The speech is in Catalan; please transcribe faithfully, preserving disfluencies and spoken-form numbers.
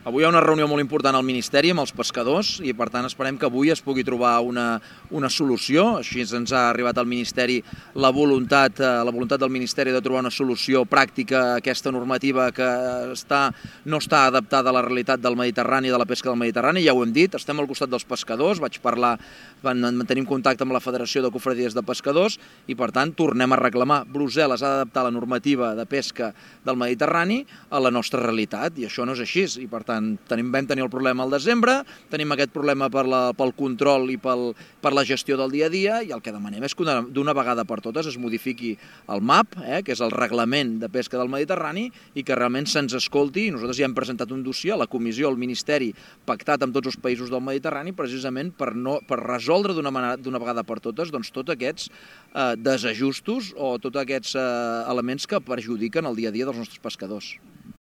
Avui hi ha una reunió molt important al Ministeri amb els pescadors i, per tant, esperem que avui es pugui trobar una, una solució. Així ens ha arribat al Ministeri la voluntat, la voluntat del Ministeri de trobar una solució pràctica a aquesta normativa que està, no està adaptada a la realitat del Mediterrani i de la pesca del Mediterrani. Ja ho hem dit, estem al costat dels pescadors, vaig parlar, mantenim contacte amb la Federació de Cofradies de Pescadors i, per tant, tornem a reclamar. Brussel·les ha d'adaptar la normativa de pesca del Mediterrani a la nostra realitat i això no és així. I, per tant, Tenim, vam tenir el problema al desembre, tenim aquest problema per la, pel control i pel, per la gestió del dia a dia i el que demanem és que d'una vegada per totes es modifiqui el M A P, eh, que és el Reglament de Pesca del Mediterrani, i que realment se'ns escolti. Nosaltres ja hem presentat un dossier a la Comissió, al Ministeri, pactat amb tots els països del Mediterrani, precisament per, no, per resoldre d'una vegada per totes doncs, tots aquests eh, desajustos o tots aquests eh, elements que perjudiquen el dia a dia dels nostres pescadors.